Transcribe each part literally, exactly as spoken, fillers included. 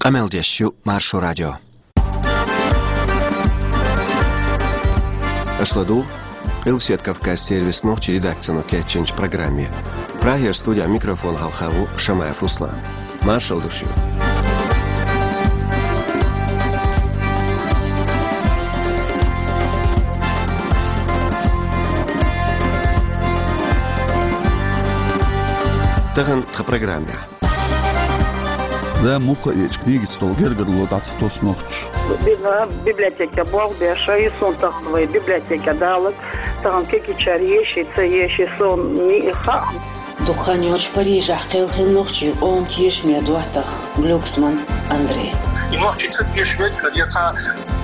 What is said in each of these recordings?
Къамел деш ю Маршо радио. Аша ладугӀу Къилбаседа Кавказан сервисан нохчийн редакцино кечйинчу программе. Прагера студехь микрофон хьалха ву Шамаев Руслан. Маршалла ду шуьга. Тахана тхан программехь. Зама муха а еъча, книгашца долу гергарло дӀа ца тосу нохчаша. Бина библиотеке болх беш, и суна тахана вай библиотеке далар, тахана кегийчара еший, ца еший, суна ниъ хаьа. Дукха хан йоцуш Парижехь кхелхина нохчийн къоман тешаме доттагӀа Глюксман Андрей. И нохчий ца тешаме, я цхьа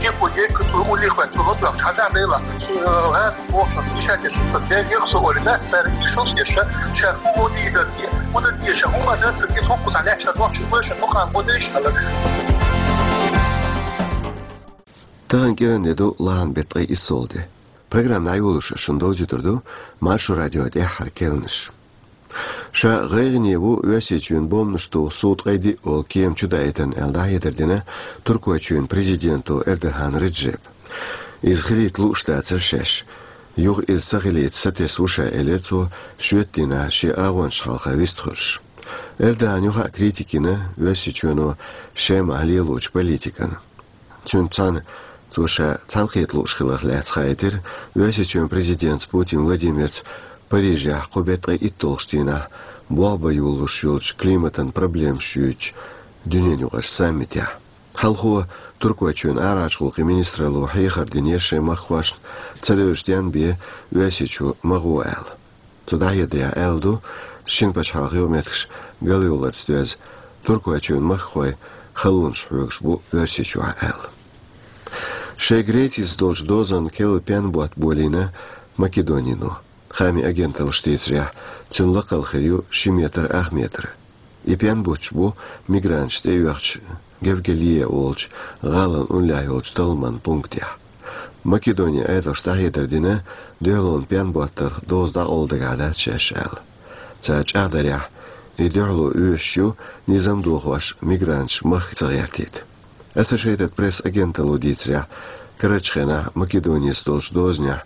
кепо дерг, цо уллехь ваьлла, цо латваьлла, цхьа да дайла, цо, э, гӀаза бохуш, иша тешам ца дерг, яха со олий, да, цара иша ца деша, ша хӀун гӀо дийр дара те, хӀун дар те ша, хӀун ма дар ца те, хӀокху цхьа лаьттара нохчий вайша, хӀун хан гӀо дайш хьала. Тахана кӀиранде ду лахьан беттан ткъе иссалгӀа де. Программа дӀайолош шуна довзуьйтур ду Маршо радион тӀаьххьара керланаш. Ша гӀайгӀане ву Оьрсийчоьнан бомбанаш туху суд къайди олу кема чудаийтарна аьлла дӀахьедар дина Туркойчоьнан президенто Эрдоган Реджепа. Иза хилийта лууш дацара шаьш. Юха иза ца хилийта сатесна ву ша, элира цо, шоьтан дийнахь шен агӀончашна хьалха вистхуьлуш. Эрдоган юха а критика йина Оьрсийчоьно Шемахь лелочу политикана. Цуьнца цхьаьна цо ша цхьаьнакхета лууш хиларх лаьцна хаийтира Оьрсийчоьнан президентца Путин Владимирца Парижехь кху беттан ткъе итталгӀачу дийнахь болх бан йолалуш йолчу климатан проблемаш юьйцучу дуьненаюкъарчу саммитехь. Хьалхо Туркойчоьнан арахьарчу гӀуллакхийн министралло хьехар динера шайн махкахошна, ца девзаш денна бен Оьрсийчу ма гӀо аьлла. Цо дӀахьедарехь аьлла ду, шина пачхьалкхан юкъаметтигаш галйовларца доьзна, Туркойчоьнан махкахой халонаш хьоьгуш бу Оьрсийчохь аьлла. Шайн Грецис долчу дозанна керла пенботт болийна Македонино. Хаамийн агенталлаша дийцарехь, цуьнан лакхалла хир ю ши метр ах метр. И пенботташ бу мигранташ тӀеоьхучу Гевгелия олучу гӀалин уллехь йолчу талламан пунктехь. Македонин Ӏедалша дӀахьедар дина, дуьхьалонан пенботтарх доза дӀакъовла дагахь дац шаьш аьлла. Цара чӀагӀдарехь, и дуьхьало оьшуш ю, низам дохош мигранташ махка ца гӀертийта. Associated Press агенталло дийцарехь, карарчу хенахь Македонис долчу дозанехь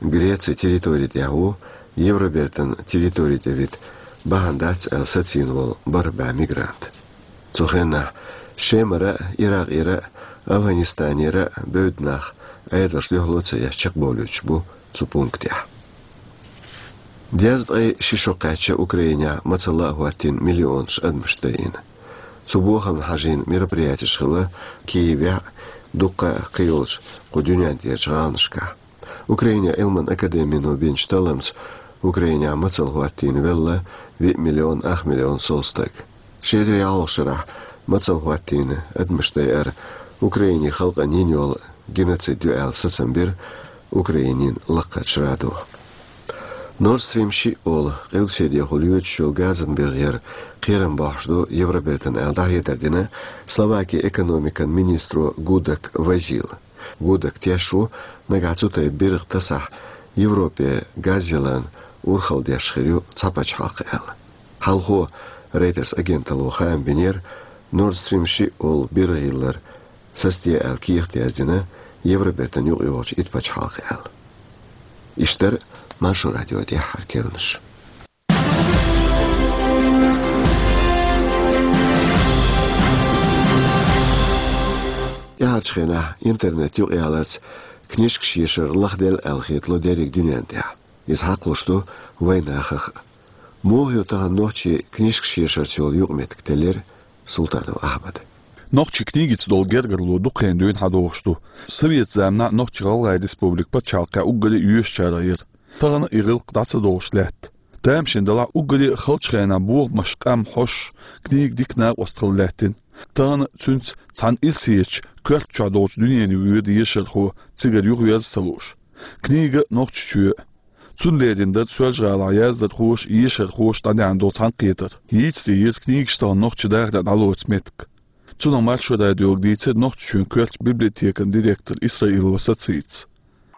Грецин территори тӀехь ву, Евробертан территори тӀе вита бахьана дац аьлла сацийна волу бархӀ бӀе мигрант. Цу хенахь Шемара а, Иракъера а, Афганистанера а бевдда нах Ӏедалша дуьхьало а ца еш чекхбовлуьйтуш бу цу пунктехь. Дезткъе ши шо кхаьчна Украинехь мацалла а хӀоттийна миллионаш адамаш дайина. Цу бохамна хьажийна мероприятеш хилла Киевехь а, дуккха а кхийолчу кху дуьнен тӀерачу гӀаланашкахь. Украинан Ӏилман академино бинчу талламца Украинехь мацалла хӀоттийна велла виъ миллион ах миллион сов стаг. Ши эзар ялхалгӀачу шарахь мацалла хӀоттийна адамаш дайар Украинин халкъана йина йолу геноцид ю аьлла сацам бира Украинин лакхарчу радо. Nord Stream шиъ олу къилбаседехула йоьдуш йолу газан биргӀа яр кхерам бохьуш ду Евробертана аьлла дӀахьедар дина Словакин экономикан министро Гудак Вазила. Гудак теш ву, нагахь цу тайпа биргӀа тасахь, Европе газ яларна урхалла деш хир ю цхьа пачхьалкх аьлла. Хьалхо Reuters агенталло хаам бинера, Nord Stream шиъ олу биргӀа йиллар сацаде аьлла кехат яздина Евробертан юкъайогӀучу итт пачхьалкх аьлла. Иштта дара Маршо радион тӀаьххьара керланаш. ТӀаьхьарчу хенахь интернет юкъаяларца книжкаш ешар лахделла аьлла хетало дерриг дуьнен тӀехь. Иза хьакхалуш ду вайн нахах а. Муха ю тахана нохчийн книжкаш ешарца йолу юкъаметтиг, теллира Султанов Ахьмада. Нохчийн книгица долу гергарло дукха хан дуьйна хьадогӀуш ду. Совет заманахь Нохч-ГӀалгӀайн республика пачхьалкхехь уггаре а йоьшучарах яра. Тахана и гӀиллакх дӀа ца догӀуш лаьтта. Тамашийна делахь, уггаре а халчу хенахь бохамаш, къам, хьош, книга дика накъост хила лаьттина. Тахана цуьнца цхьана ирсечу коьрта чохь долчу дуьненан воьду ешархо цигара юхаверза ца лууш. Книга Нохчийчоь. Цунна лерина дара Соьлжа-ГӀалахь яздархоша, ешархоша дӀадеана долу цхьаьнакхетар. Йийца дийра книгаш тахана нохчийн дахарехь дӀалоцу меттиг. Цунах Маршо радиога дийцира Нохчийчоьнан коьртачу библиотекан директор Исраилова Сацица.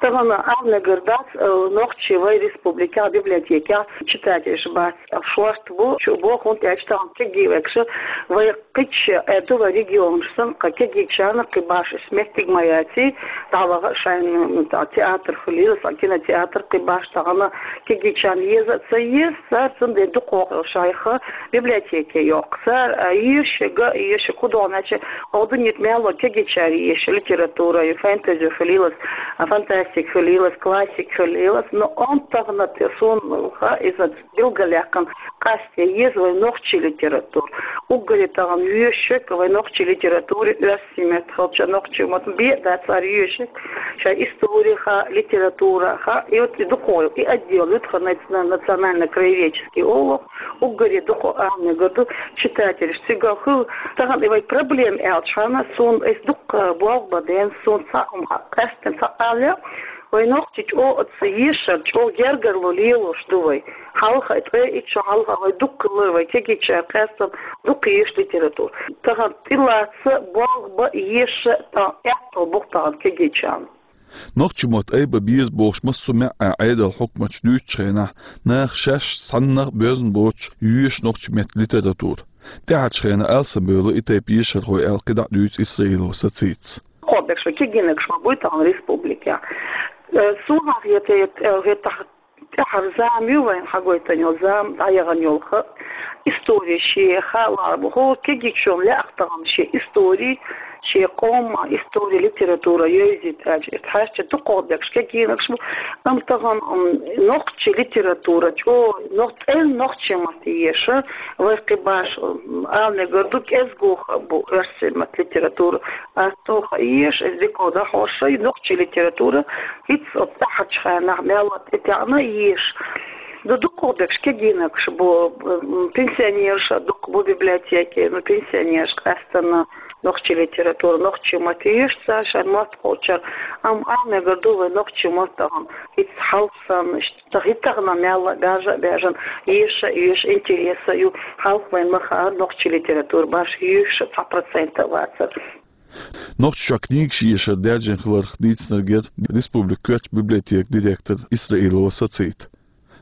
Тахана арнагар дац, э, нохчий вай республикехь библиотекехь читателаш бац, шорта бу, чу бу, хӀунда аьлча тахана кегий векша вай кхича, э, ду вай регионаш санна, кхы кегийчарна кхин баш ис меттиг ма яций, дӀаваха шайн, м, та-, театр хилийла, сан кинотеатр кхин баш тахана кегийчарна еза а ца еза, цара цундела дукхагӀа шайх библиотеке йоккху. Цара, а, ешага, ешага хӀун догӀу аьлча, оха дуьнен тӀа мел ло кегийчара еша литература, ю фэнтези хилийла, а, фантастика хилийла, классика хилийла, но он тахана те суна ха иза билгалъяьккхина къасте еза вай нохчий литература. Уггаре тахана ешаг вай нохчий литература, оьрсийн меттахь хилча нохчий мотт бен дац цара ешаг, шайн историхьа, литературахьа, и вот и дукхагӀа, и отдел, ю тхан наци-, национально-краеведческий олу, уггаре дукха арнагар ду читателаш. Цига хӀу тахана и вай проблема аьлча хьана, суна эс дукха болх бан ден, суна цхьа хӀума къаьстина цхьа къале, вай нохчий чӀогӀа оцу ешар, чӀогӀа гергарло лелош ду вай. Хьалха, ткъе итт шо хьалха вай дукха лар, вай кегийчара къаьстина дукха еша литература. Тахана тӀелаца болх бан, еша, тахана аьтту бу тахана кегийчарна. Нохчийн мотт айба беза бохуш, массо а маьӀӀехь Ӏедалан хьукматаш дуьйцучу хенахь, наха шаьш цхьаннах а боьзна боцуш, йоьшу нохчийн меттан литература. ТӀаьхьарчу хенахь алсамбевлла и тайпа ешархой аьлла кхидӀа а дуьйцу Исраилова Сацита. Кхобегаш вай кегийнаргаш ма буй тахана республикехь. Э, суна хета, хета, хета тахана тӀаьхьара зама ю вайна хьагойтина йолу, зама дӀаяхана йолу ха, истори шен хаа лаьа бу. ХӀора кегийчунна лаьа тахана шен истори, шен къоман истори, литература йовзийта аьлча, и тхьаьжча дукхагӀа декъаш кегийнаргаш бу. Амма тахана, м, нохчийн литература чӀогӀа, нох-, цӀена нохчийн маттахь еша, вай кхин баш, м, ала мегар ду, кӀезиг хаа бу оьрсийн маттахь литература. Ас тоха еш, эс дика дӀахьош, и нохчийн литература, хӀинца оцу тӀаьхьарчу хенахь мел а тӀетаьӀна еш. Ду дукхагӀа декъаш кегийнаргаш бу, м, пенсионераш а дукха бу библиотеке, ну, пенсионераш къаьстина нохчийн литература, нохчийн маттахь еш цара шайн мотт кхочур. Амма ала мегар ду вай нохчийн мотт тахана хӀинца хьалха санна, иштта хӀинца тахана мел а баьржа а баьржина, еша а еш, интереса а ю, хьалха вайна ма хаара нохчийн литература баш еш цхьа процент а вацара. Нохчийчохь книгаш ешар даьржина хиларх дийцинарг яра республикан коьртачу библиотекан директор Исраилова Сацита.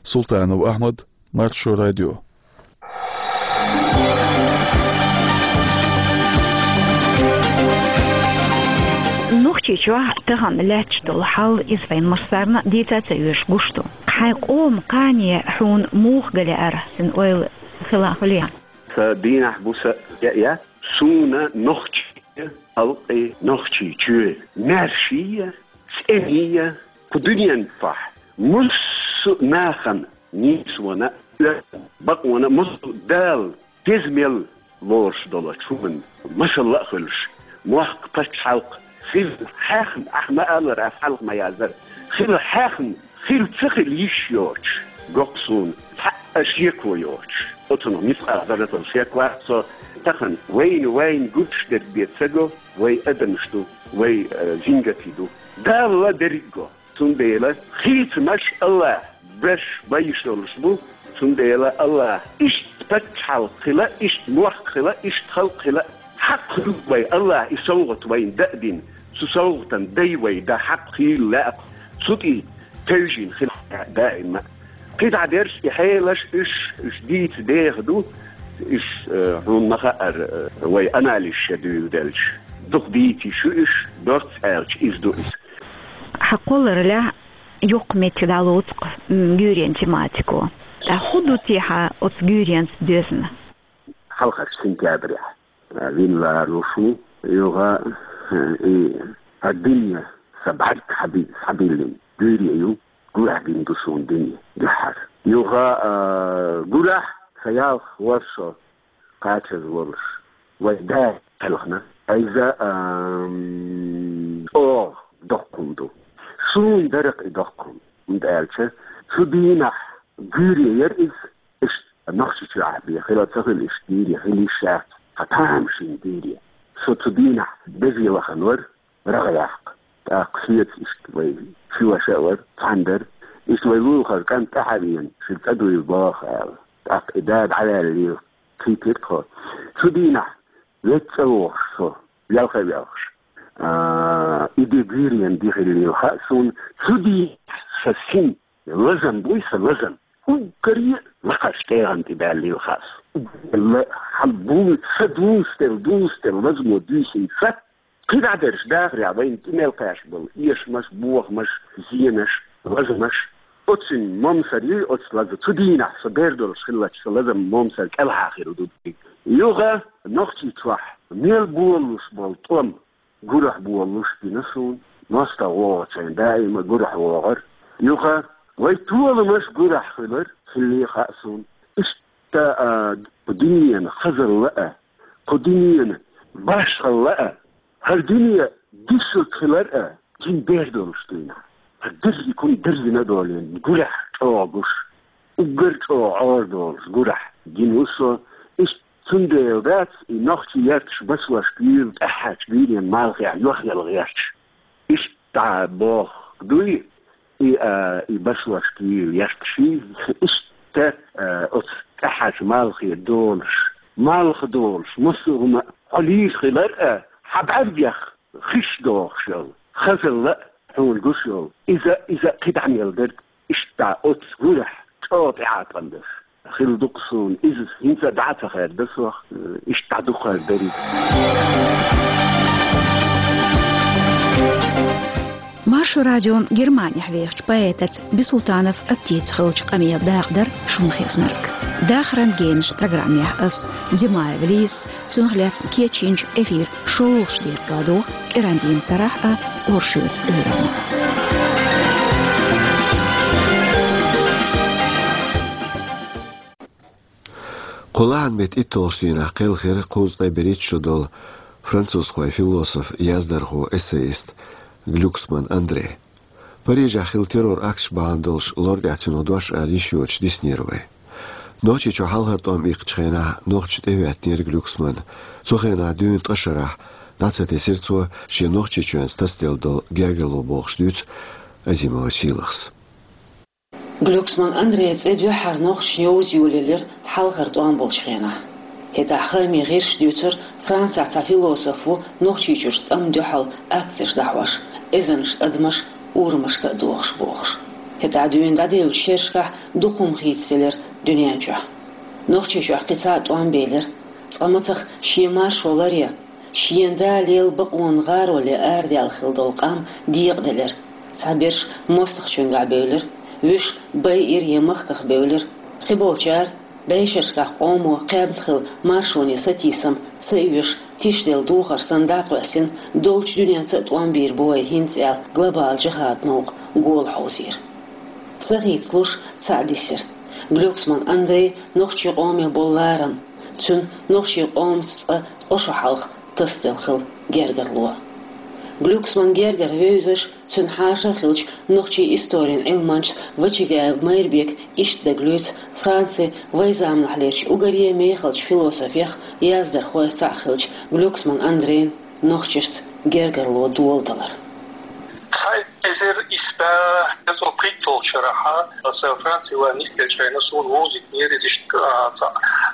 Султанов Ахьмад, Маршо радио. Нохчийчохь тахана лаьтташ долу хьал, иза вайн массарна а дийца а ца оьшу, гуш ду. Хьайн къоман кхане хьуна муха ган лаьара, хьуна ойла хила а хуьлу? Сан дийнахь бу сан яа, суна нохчийн халкъан, нохчийн чоь маьрша а, цӀена а, кху дуьнен тӀехь массо а нахана, нийсонан а, бакъонан а, массо а Дала деза мел лоруш долчу хӀуманна масалла а хуьлуш, мохк, пачхьалкх хила хьехна, ахь ма-аллара, ас хьалха ма-яздара, хила хьехна, хила ца хила йиш йоцуш, го-кх суна цхьа а шеко йоцуш. Оцунах мискъал зарратал шек вац со. Тахана вайна, вайна гуш дерг бен ца го, вай адамаш ду, вай, э, жингатий ду. Дала дерриг го. Цундела хийцамаш АллахӀа беш бан йиш йолуш бу, цундела АллахӀа иштта пачхьалкх хила, иштта мохк хила, иштта халкъ хила, хьакъ хуьлу вай, АллахӀа и совгӀат вайна даа дина, цу совгӀатан дай вай дан хьакъ хийла лаьа-кх, цу тӀе тевжина хила лаьа даима а. КхидӀа дерш и хьелаш, уьш, уьш дийца деха ду, уьш, э, хьуна ма хаара, э, вай анализ ша дуьйладелча, дукха дийца йиш ю уьш, дорц аьлча, иза ду иза. Хьан кхолларалехь йоккха меттиг дӀалоцу-кх, м, гуьйренан тематико. Ткъа хӀун ду те хьан оцу гуьйренца доьзна? Хьалхарчу сентябрехь, а, вина лоруш ву, юха, а, и, а, дуьне сан бӀаьрг хьаби-, схьабиллина гуьйре ю, гурахь бина ду суна дуьне дуьххьара. Юха, а, гурахь сан ялх ворхӀ шо кхачаза волуш, вай да кхелхина. Иза, ам, чӀогӀа доккха хӀума ду. Суна дара-кх и доккха хӀума, хӀунда аьлча цу дийнахь гуьйре яра иза, иштта Нохчийчохь бен хила ца хила иштта гуьйре, хила йиш яц, хьан тамашийна гуьйре. Со цу дийнахь безе вахана вара, рагӀ яккха. ТӀаккха соьца иштта вай ши ваша а вара, цхьаьна дара. Иштта вай вуьйхар кӀант тӀаьхьа а веана, шуьга цӀа дуйла боху аьлла. ТӀаккха и да дӀаваьллера, кхийтира тхо. Цу дийнахь вега цӀа вогӀуш со, велха а велхаш, А, и де гуьйренна ди хиллийла хаьа суна, цу дийнахь сан син лазам буй, сан лазам. Уггаре а лакхарчу тӀегӀан тӀе баьллийла хаьа суна. Уггаре а хьан буй, сан дузделла, дузделла лазамо дуьйсий сан. КхидӀа дерш дахарехь вайна тӀе мел кхаьчна болу эшамаш, бохамаш, зенаш, лазамаш. Оцу цуьнан момсар юй оцу лазам. Цу дийнахь со бер долуш хиллачу сан лазам момсар кӀелхьа хир ду. Юха Нохчийчохь мел болалуш болу тӀом гурахь болалуш бина суна. МостагӀа вогӀучу хенахь даима гурахь вогӀура. Юха вай толамаш гурахь хилар, хиллий хаьа суна. Иштта, а, кху дуьненан хазалла а, кху дуьненан башхалла а, хӀара дуьне дисург хилар а, жин бер долуш дуьйна. ХӀара дерриг хӀума дерзина долийна, гурахь чӀогӀа гуш, уггар чӀогӀа Ӏора долуш гурахь гина ву со. Иштта цундела дац и нохчий ярташ басошка юйла тӀаьххьарчу гуьйренан малхехь йохъяла гӀерташ. Иштта боху дуй, и, а, и басошка юйла ярташий, иштта, а, оцу тӀаьххьарчу малхе долуш, малх долуш, массо а хӀума хьо лийр хилар а, хьан бӀаьргех хиш дохуш йолу, хазалла а хьуна гуш йолу, иза, иза кхидӀа мел дерг, иштта оцу гурахь чӀогӀа тӀеӀаткъам дерш. Хила ду-кх суна иза, хӀинца а дӀа а ца хаьрда сох, иштта дӀа дукха хир дерг. Маршо радион Германехь вехачу поэтаца Бисултанов Аптица хиллачу къамелан дакъа дара шуна хезнарг. Дахаран генаш программехь ас, Димаева Лиза, цунах лаьцна кечйинчу эфиран шолгӀачу декъе ладогӀа кӀирандийнан сарахь а, оршотан уьйранна. Кху лахьан беттан итталгӀачу дийнахь кхелхира кхузткъе берхӀитта шо долу французхойн философ, яздархо, эссеист Глюксман Андре. Парижехь хилла террор-акташ бахьана долуш лор тӀехь цуьнан дош ала йиш йоцуш диснера вай. Нохчийчохь хьалхара тӀом иккхачу хенахь нохчаша тӀехӀоьттинера Глюксман. Цу хенахь дуьйна ткъа шарахь дӀа ца тесира цо шен Нохчийчоьнца тасаделла долу гергарло, бохуш дуьйцу Азимова Сийлахьас. Глюксман Андрейн цӀе дуьххьара нохчашна йовза йолаелира хьалхара тӀом болчу хенахь. ХӀетахь хаамийн гӀирсаша дуьйцура, Францехь цхьа философ ву Нохчийчуьрчу тӀам дуьхьал акцеш дӀахьош, эзарнаш адамаш урамашка а дохуш бохуш. ХӀетахь дуьйна дӀадевллачу шерашкахь дукха хӀума хийцаделира дуьнен чохь. Нохчийчохь кхин цхьа а тӀом белира, цкъа мацах шен маршо ларъян, шена да лела бакъонан гӀароле арадаьлла хилла долу къам декъаделира. Цхьаберш мостагӀчуьнгахь бевлира, вуьш байъира я махках бевлира. Кхиболчара бӀешерашкахь къомо кхаьбна хилла маршоне сатийсам ца оьшу, тишделла духар санна дӀакъоьстина, долчу дуьненца а тӀом бийр бу вай хӀинца аьлла, глобалан жихӀадан новкъа гола хьовзийра. Ца хийцалуш цхьаъ дисира. Глюксман Андрейн нохчийн къоме болу ларам, цуьнан нохчийн къомаца цкъа ткъа шо хьалха тасаделла хилла гергарло. Глюксман гергара вевзаш, цуьнан хьаша а хиллачу нохчийн историн Ӏилманчас Вачагаев Майрбека иштта дагалоьцу Францин вайн заманахьлерчу уггаре мехалчу философех, яздархойх цхьаъ хиллачу Глюксман Андрейн нохчашца гергарло доладалар. Цхьа эзар исс бӀе кхузткъе пхийтталгӀачу шарахь аса Франце ван нисделчхьана суна вовзийтинера иза иштта, а, цхьа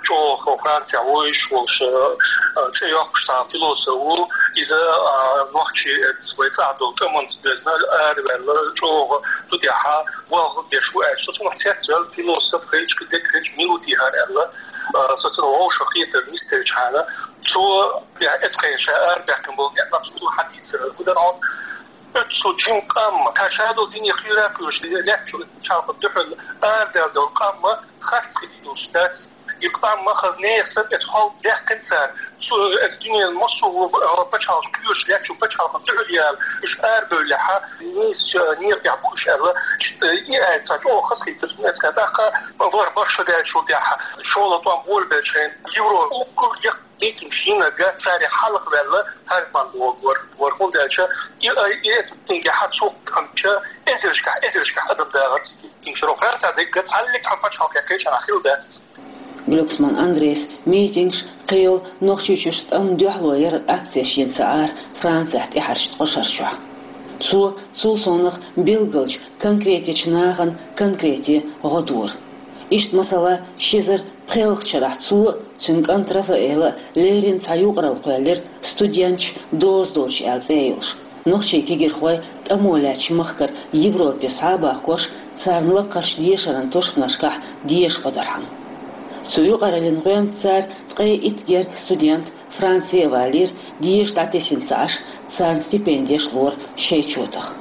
чӀогӀа Францехь вуьйцуш волуш, а, цӀе йоккхуш цхьа философ ву. Иза, а, нохчийн эццахь вайн цӀахь долу тӀамца безна араваьлла, чӀогӀа цу тӀехь болх беш ву аьлла. Со цунах цецваьлла, философ хилча, кхин дерг хилча мила ву техьара аьлла, а, со цунах вовшахкхетар нисделчхьана, цо эццахь ша арабаьккхина болу некъ цо хьадийцар. ХӀун дара хьуна? Оццул жима къам, тхан ша долу дуьне кхуьйра а кхуьйсуш, лаьттачу пачхьалкхан дуьхьал арадаьлла долу къам харц хила йиш йолуш дац. И къам хаза нехан санна эцу хьалха даьккхина цара. Цу, эцу дуьненан массо а пачхьалкхаш кхоьруш, лаьттачу пачхьалкхан дуьхьал яьлла, уьш арабевллехь, нийса некъа тӀехь бу уьш аьлла, иштта и аьлла цара чӀогӀа хазахийтира цунна эцу хенахь. ТӀаккха вара барх шо даьллачул тӀаьхьа, шолгӀа тӀом болабеллачхьана, Европа уггар яккха митинг йинарг царех хьалха ваьлла Герман вогӀур вара, хӀунда аьлча и, и эцу митингехь цо кхаьчча, эзаршкахь, эзаршкахь адам дагӀар цига. Митинг шуьра Францехь дерг цхьаллиг цхьана пачхьалкхе кхечанхьа хилла дац. Глюксман Андрейс митингаш, кхин йолу Нохчийчуьрчу тӀамна дуьхьало яра акцеш йина ца Ӏара Францехь тӀаьхьарчу ткъа шарчохь. Цо цул совнаха билгалчу конкретечу нахана конкрете гӀо дора. Иштта, масала, ши эзар пхоьалгӀачу шарахь цо Цуьнан кӀанта Рафаэла леррина цхьа юкъаралла кхоьллира «Студенташ доза долчу» аьлла цӀе йолуш. Нохчийн кегийрхой тӀамо лаьттачу махкара Европе схьа а бахкош, царна лакхарчу дешаран тушканашкахь деша гӀо дархьама. Цу юкъараллин гӀоьнца цара ткъе итт гергга студент Франце а валийра, деша дӀатесна ца Ӏаш, царна стипендеш лора шайн чотах.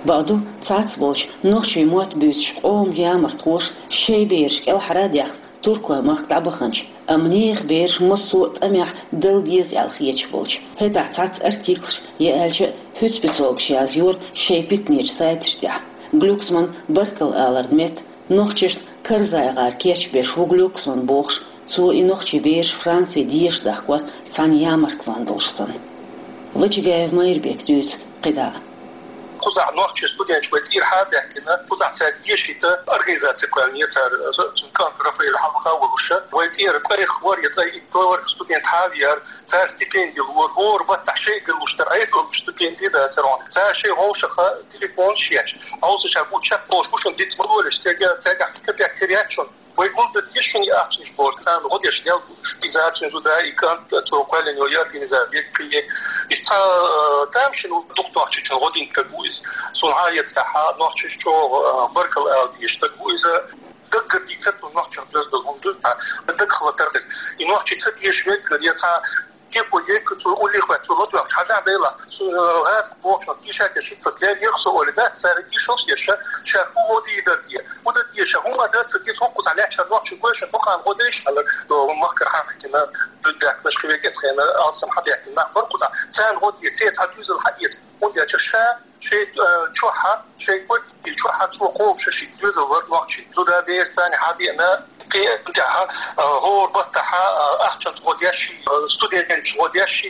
Бакъду, цхьацца болчу нохчийн мотт буьйцучу къоман ямартхоша шайн бераш кӀелхьара а даьккхина, туркойн махка дӀабаханчу, амма нехан бераш массо а тӀамехь дала деза аьлла хеташ болчу. ХӀетахь цхьацца артиклаш, я аьлча, хӀуьцбицолгаш язйора шайн питанечу сайташ тӀехь. Глюксман баркалла аларна метта, нохчашна карзайгӀар кечбеш ву Глюксман бохуш, цо и нохчийн бераш Франце деша дахкор цхьана ямартлонна долуш санна. Вачагаев Майрбека дуьйцу кхидӀа а. Кхузахь нохчийн студенташ вай цӀера хьа а баьхкина, кхузахь цаьрга дешийта организаци кхоьллинера цара, цуьнан кӀант Рафаэль хьалха а волуш, вай цӀера ткъе хӀора я ткъе итт студент хьа а веара, цара стипенди лора, хӀора баттахь шайгара луш дара, Ӏедалан стипенди дацара хьуна. Цара шайн вовшахтоха телефонаш еш, хьовсуш а бу чекхболуш бу шуна диц ма лолаш, цаьрга, цаьргахь капек тера яц шуна. Вай гулдан деза шуна и ахчанаш бохуш, царна гӀо деш лелла бу уьш. Иза цуьнан зуда и кӀант, цо кхоьллина йолу и организаци, и, иштта цхьа, а, тамашийна дукха нохчочунна гӀо дина стаг ву иза. Суна хьан а еттахь, нохчаша чӀогӀа, а, баркалла ала дезаш стаг ву иза. Даггара дийцар цунна нохчех доьзна долу хӀума ду, а, дагахь латар иза. И нохчий ца деша веггара, я цхьа Кепо ейка цо уллех ваьлла, цо ладоьгӀча хьажахь дела, цо, э, гӀазкхи бохучунах тийшар деш хӀинццалц леррина со олий дац, цара тийшалш деш, ша, ша хӀун гӀо дийр дара те, хӀун дан те ша, хӀун ма дац те, хӀокхузахь лаьттачу нохчийн гойшан бакъана гӀо дайша аьлла, э, махкара хьан хӀиттина, дуьддаккхаш хи векӀец хена алсам хьан даьхкина нах бара кхузахь. Царна гӀо де, церан цхьа дуьзал хьаэца, хӀунда аьлча ша, шайн, э, чохь, шайн квартири чохь цо кхобуш ши доьзал вара нохчий. Зуда бераш царна хьадеана, кхин тӀаьхьа, э, хӀора баттахь, э, ахчанца гӀо деш, э, студенташ гӀо деш,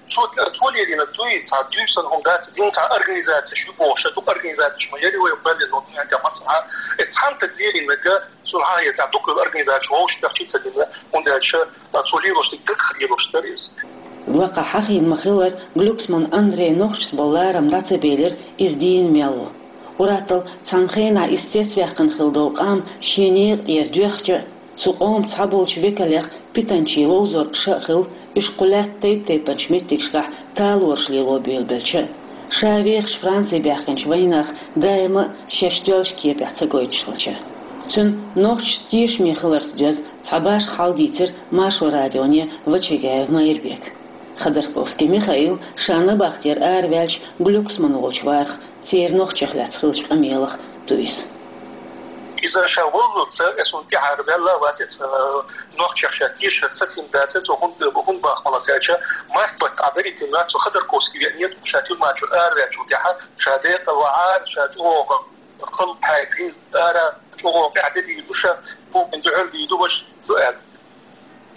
цо, цо лелийна дуй, цхьа дуьйсан хӀума дац, дин цхьа организацеш ю бохуш, дукха организацеш ма яри вай беллина, хӀунда аьлча масала, э, цхьана таг лелийнарг, суна хьан а еттахь, дукха организацеш вовшах бехчи ца дина, хӀунда аьлча, цо лелош дерг дагахь лелош дара иза. Лакхахь хьахийна ма-хиллара, Глюксман Андрей нохчашца болу ларам дӀа ца белира иза дийна мел ву. Уьттазза цхьана хенахь иза цецваьккхина хилла долу къам шен некъа тӀера доьхча, цу къоман цхьаболчу векалех питанчийн ловзор ша а хилла, уьш кху лаьттан тайп-тайпанчу меттигашкахь талораш лело буьйлабелча а. Ша вехаш Франце баьхкинчу вайнаха даима а шаьш доьлчу кепехь ца гойтуш хилча. Цуьнан нохчашца тешаме хиларца доьзна цхьа башха хьал дийцира Маршо радионе Вачагаев Майрбека. Ходорковский Михаил ша набахтера араваьлча Глюксман волчу варах церан нохчех лаьцна хиллачу къамелах ду иза. Иза ша валлалца, э, суна тӀаьхьара ваьлла а вац иза, э, нохчех ша тешар сацийна дац, цо хӀунда, хӀунда бахмалас аьлча, март баттахь дарийтина цо Ходорковский веанера, ша тюрьма чуьра араваьллачул тӀаьхьа, ша декъала вахьара, ша чӀогӀа халла хьаькхина ара, чӀогӀа къаьхьа де дийр ду ша, букъин дуьхьал дийр ду, важа ду аьлла.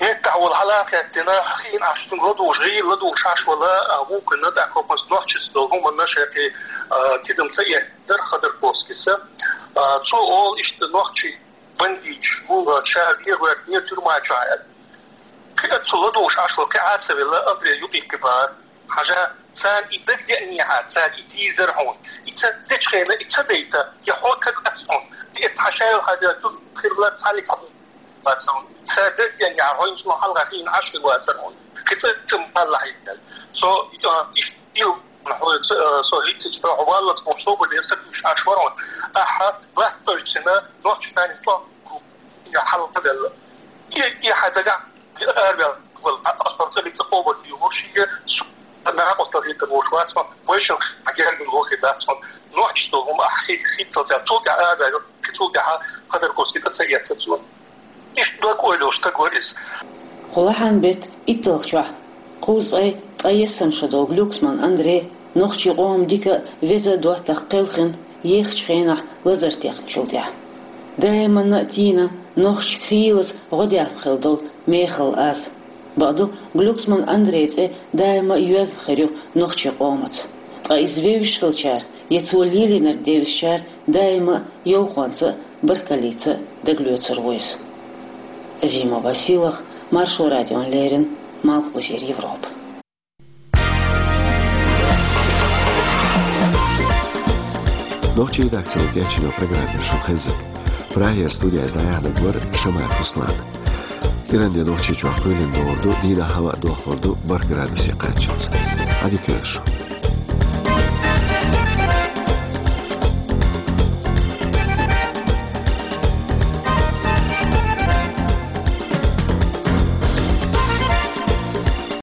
Меттахь волу хьала а хаьттина, хиъна Ӏаш цуьнга ладугӀуш, гӀийла ладугӀуш Ӏаш вала, а, вукхунна тӀаккха хӀокхунца нохчашца долу хӀуманна шайкхий, а, тидам ца эцна дара Ходорковскийс. А, цо олу иштта нохчий бандиташ бу, а, ша дегӀоьртинера тюрьма чохь аьлла. Кхин а цо ладугӀуш Ӏаш вала, кхин Ӏа а ца велла, Андрей юкъе кхин бара. Хьажа, царна и дагадеанехьара, цара и дийр дара хьуна. И ца дечу хенахь, и ца дайта, я хьо таг вац хьуна, и эцхьа шайла хьажа, цу хирла цхьаллиг цхьа вац хьуна. Цара дагадеанехьара, хьо йишло хьалха хиъна Ӏаш хир вацара хьуна. Кхин цӀа ца малла хьийдал. Со, а, иштта ил, хьо, ца, а, со хӀинццачу хьо валлалц бохуш собар ден сатуьйсуш Ӏаш вара хьуна. Ахьа, латточу цина, нохча тани тӀом я хьалха делла. И, и хьан дагахь араваьлла, вала, Ӏа, аса цӀа бен цӀа къобал дийр ву шига, су, накъостал хӀиттар вуш вац хьо, вайшал хьан гергара вохе дац хьо, нохчашца хӀума ахь хи-, хӀиттал цара, цул тӀаьхьа араваьлла, кхин цул тӀаьхьа Ходорковский тӀе ца эццара цо. Иштта дог ойла йолуш стаг вара иза. Кху лахьан беттан итталгӀачохь кхузткъе ткъайесна шо долу Глюксман Андрей нохчийн къоман дика а, веза а доттагӀа кхелхина ехачу хенахь лазар текхначул тӀаьхьа. Даиманна а тийна, нохчашка хийлаза гӀо дехна хилла долу мехала аз. Бакъду, Глюксман Андрей цӀе даима а йоьзна хир ю нохчийн къомаца. Ткъа иза вевзаш хилчара, я цо лелийнарг девзачара даима а йовхонца а, баркаллица а дагалоьцур ву иза. Азима Василах, Маршо радиона леррина, Малхбузера Европа. Нохчийн редакцино кечйина программа шун хезна. Прагера студехь дӀаяьхьнарг вара Шамаев Руслан. Иранден Нохчийчохь кхоьлина догӀур ду, дийнахь хӀаваъ дохлур ду бархӀ градусе кхаччалц. Ӏадика йойла шу.